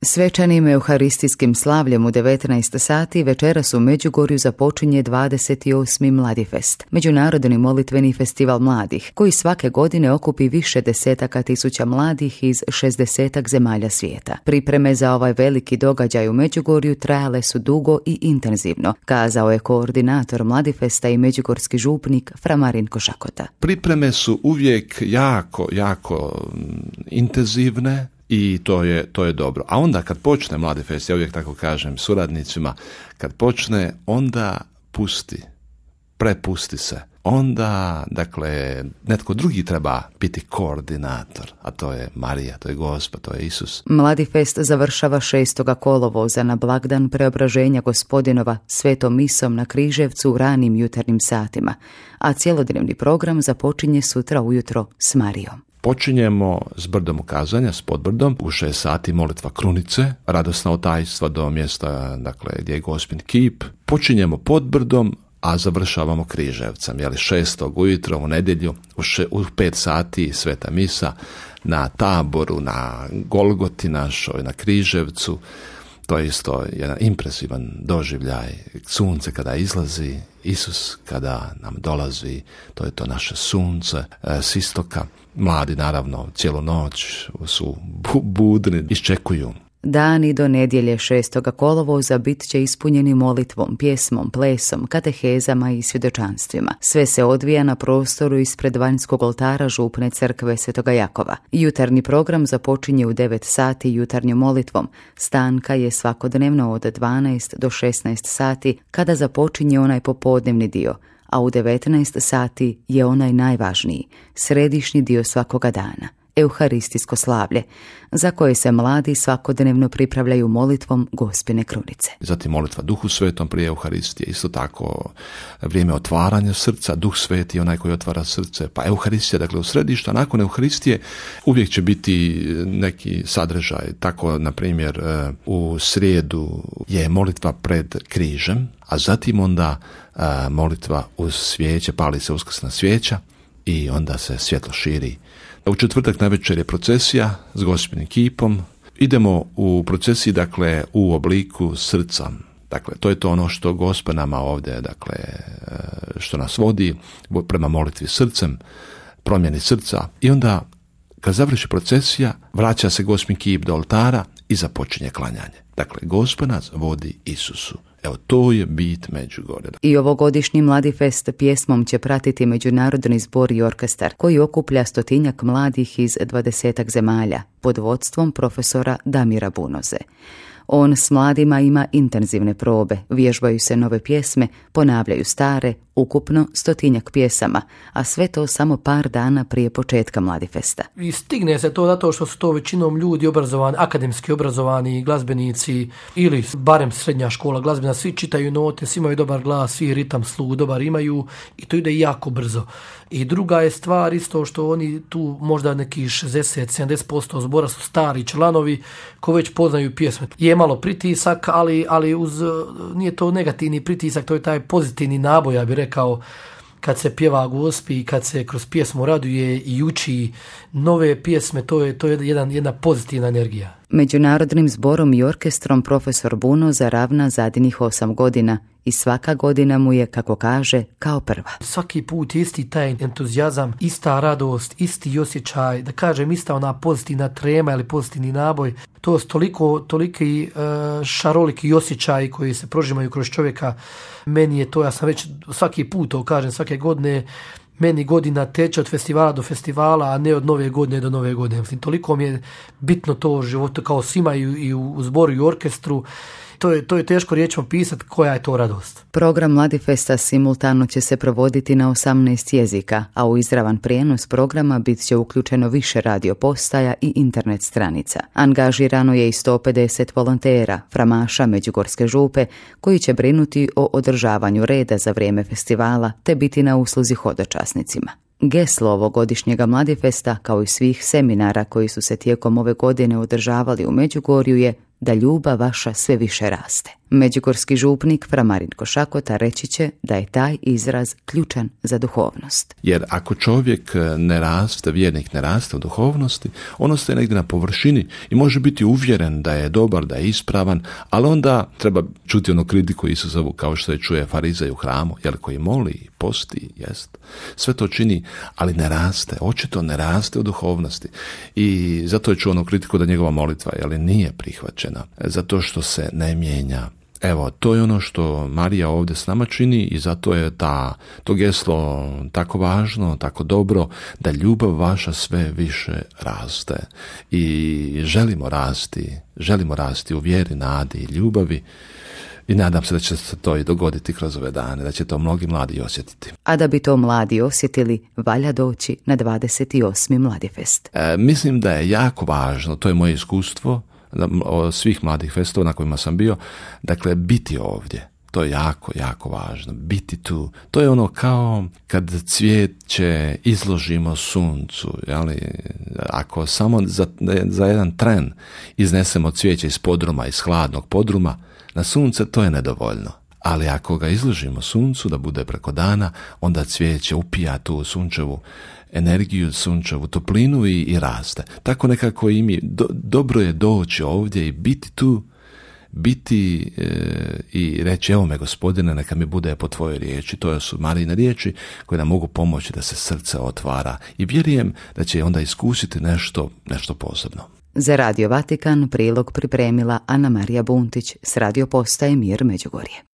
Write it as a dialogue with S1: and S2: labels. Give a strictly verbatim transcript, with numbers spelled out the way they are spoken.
S1: Svečanim euharistijskim slavljem u devetnaest sati večeras u Međugorju započinje dvadeset osmi Mladifest, međunarodni molitveni festival mladih, koji svake godine okupi više desetaka tisuća mladih iz šezdesetak zemalja svijeta. Pripreme za ovaj veliki događaj u Međugorju trajale su dugo i intenzivno, kazao je koordinator Mladifesta i međugorski župnik Fra Marinko Šakota.
S2: Pripreme su uvijek jako, jako intenzivne, i to je, to je dobro. A onda kad počne Mladifest, ja uvijek tako kažem suradnicima, kad počne, onda pusti, prepusti se. Onda, dakle, netko drugi treba biti koordinator, a to je Marija, to je Gospa, to je Isus.
S1: Mladifest završava šestoga kolovoza na blagdan Preobraženja Gospodinova svetom misom na Križevcu u ranim jutarnjim satima, a cjelodnevni program započinje sutra ujutro s Marijom.
S2: Počinjemo s brdom ukazanja, s podbrdom, u šest sati molitva krunice, radosna otajstva do mjesta, dakle, gdje je Gospin kip. Počinjemo podbrdom, a završavamo Križevcem, jeli šestog ujutro u nedjelju, u, še, u pet sati sveta misa, na Taboru, na Golgoti našoj, na Križevcu. To je isto jedan impresivan doživljaj. Sunce kada izlazi, Isus kada nam dolazi, to je to naše sunce e, s istoka. Mladi, naravno, cijelu noć su bu- budni, iščekuju.
S1: Dani do nedjelje šestoga kolovoza bit će ispunjeni molitvom, pjesmom, plesom, katehezama i svjedočanstvima. Sve se odvija na prostoru ispred vanjskog oltara župne crkve Svetoga Jakova. Jutarnji program započinje u devet sati jutarnjom molitvom. Stanka je svakodnevno od dvanaest do šesnaest sati kada započinje onaj popodnevni dio, a u devetnaest sati je onaj najvažniji, središnji dio svakoga dana. Euharistijsko slavlje, za koje se mladi svakodnevno pripravljaju molitvom Gospine krunice.
S2: Zatim molitva Duhu Svetom prije Euharistije, isto tako vrijeme otvaranja srca, Duh Sveti onaj koji otvara srce, pa Euharistija, dakle u središtu, a nakon Euharistije uvijek će biti neki sadržaj, tako na primjer u srijedu je molitva pred križem, a zatim onda molitva uz svijeće, pali se uskrsna svijeća i onda se svjetlo širi. U četvrtak navečer je procesija s Gospinim kipom. Idemo u procesiji, dakle, u obliku srca. Dakle, to je to ono što Gospa nama ovdje, dakle, što nas vodi prema molitvi srcem, promjeni srca. I onda, kad završi procesija, vraća se Gospin kip do oltara i započinje klanjanje. Dakle, Gospa nas vodi Isusu. Evo, to je bit Međugorja.
S1: I ovogodišnji Mladifest pjesmom će pratiti međunarodni zbor i orkestar, koji okuplja stotinjak mladih iz dvadesetak zemalja, pod vodstvom profesora Damira Bunoze. On s mladima ima intenzivne probe, vježbaju se nove pjesme, ponavljaju stare, ukupno stotinjak pjesama, a sve to samo par dana prije početka Mladifesta.
S3: I stigne se to zato što su to većinom ljudi obrazovani, akademski obrazovani, glazbenici ili barem srednja škola glazbena, svi čitaju note, svi imaju dobar glas, svi ritam, sluh dobar imaju i to ide jako brzo. I druga je stvar isto što oni tu možda neki šezdeset do sedamdeset posto zbora su stari članovi koji već poznaju pjesme. Je malo pritisak, ali, ali uz, nije to negativni pritisak, to je taj pozitivni naboj, ja bih rekao, kad se pjeva Gospi i kad se kroz pjesmu raduje i uči nove pjesme, to je, to je jedan, jedna pozitivna energija.
S1: Međunarodnim zborom i orkestrom profesor Bunoza ravna zadnjih osam godina i svaka godina mu je, kako kaže, kao prva.
S3: Svaki put isti taj entuzijazam, ista radost, isti osjećaj, da kažem ista ona pozitivna trema ili pozitivni naboj. To su toliko, toliki uh, šaroliki osjećaji koji se prožimaju kroz čovjeka. Meni je to, ja sam već svaki put to kažem, svake godine, meni godina teče od festivala do festivala, a ne od nove godine do nove godine. Mislim, toliko mi je bitno to u životu kao svima i, i u, u zboru i u orkestru. To je, to je teško riječima pisati koja je to radost.
S1: Program Mladifesta simultano će se provoditi na osamnaest jezika, a u izravan prijenos programa bit će uključeno više radio postaja i internet stranica. Angažirano je i sto pedeset volontera, framaša Međugorske župe, koji će brinuti o održavanju reda za vrijeme festivala te biti na usluzi hodočasnicima. Geslo ovogodišnjega Mladifesta, kao i svih seminara koji su se tijekom ove godine održavali u Međugorju, je da ljubav vaša sve više raste. Međugorski župnik fra Marinko Šakota reći će da je taj izraz ključan za duhovnost.
S2: Jer ako čovjek ne raste, vjernik ne raste u duhovnosti, on ostaje negdje na površini i može biti uvjeren da je dobar, da je ispravan, ali onda treba čuti onu kritiku Isusovu kao što je čuje farizej u hramu, jer koji moli, posti, jest. Sve to čini, ali ne raste, očito ne raste u duhovnosti. I zato je čuo onu kritiku da njegova molitva jeli, nije prihvaćena, zato što se ne mijenja. Evo, to je ono što Marija ovdje s nama čini i zato je ta, to geslo tako važno, tako dobro, da ljubav vaša sve više raste. I želimo rasti, želimo rasti u vjeri, nadi i ljubavi. I nadam se da će se to i dogoditi kroz ove dane, da će to mnogi mladi osjetiti.
S1: A da bi to mladi osjetili, valja doći na dvadeset osmi Mladifest.
S2: E, mislim da je jako važno, to je moje iskustvo, od svih mladih festova na kojima sam bio, dakle biti ovdje. To je jako, jako važno. Biti tu. To je ono kao kad cvijeće izložimo suncu. Jeli? Ako samo za, za jedan tren iznesemo cvijeće iz podruma, iz hladnog podruma, na sunce to je nedovoljno. Ali ako ga izložimo suncu da bude preko dana, onda cvijeće upija tu sunčevu energiju, sunčevu toplinu i, i raste. Tako nekako i mi, do, dobro je doći ovdje i biti tu, biti e, i reći evo me Gospodine, neka mi bude po tvojoj riječi. To su Marijine riječi koje nam mogu pomoći da se srce otvara i vjerujem da će onda iskusiti nešto, nešto posebno.
S1: Za Radio Vatikan prilog pripremila Ana Marija Buntić s radio postaje Mir Međugorje.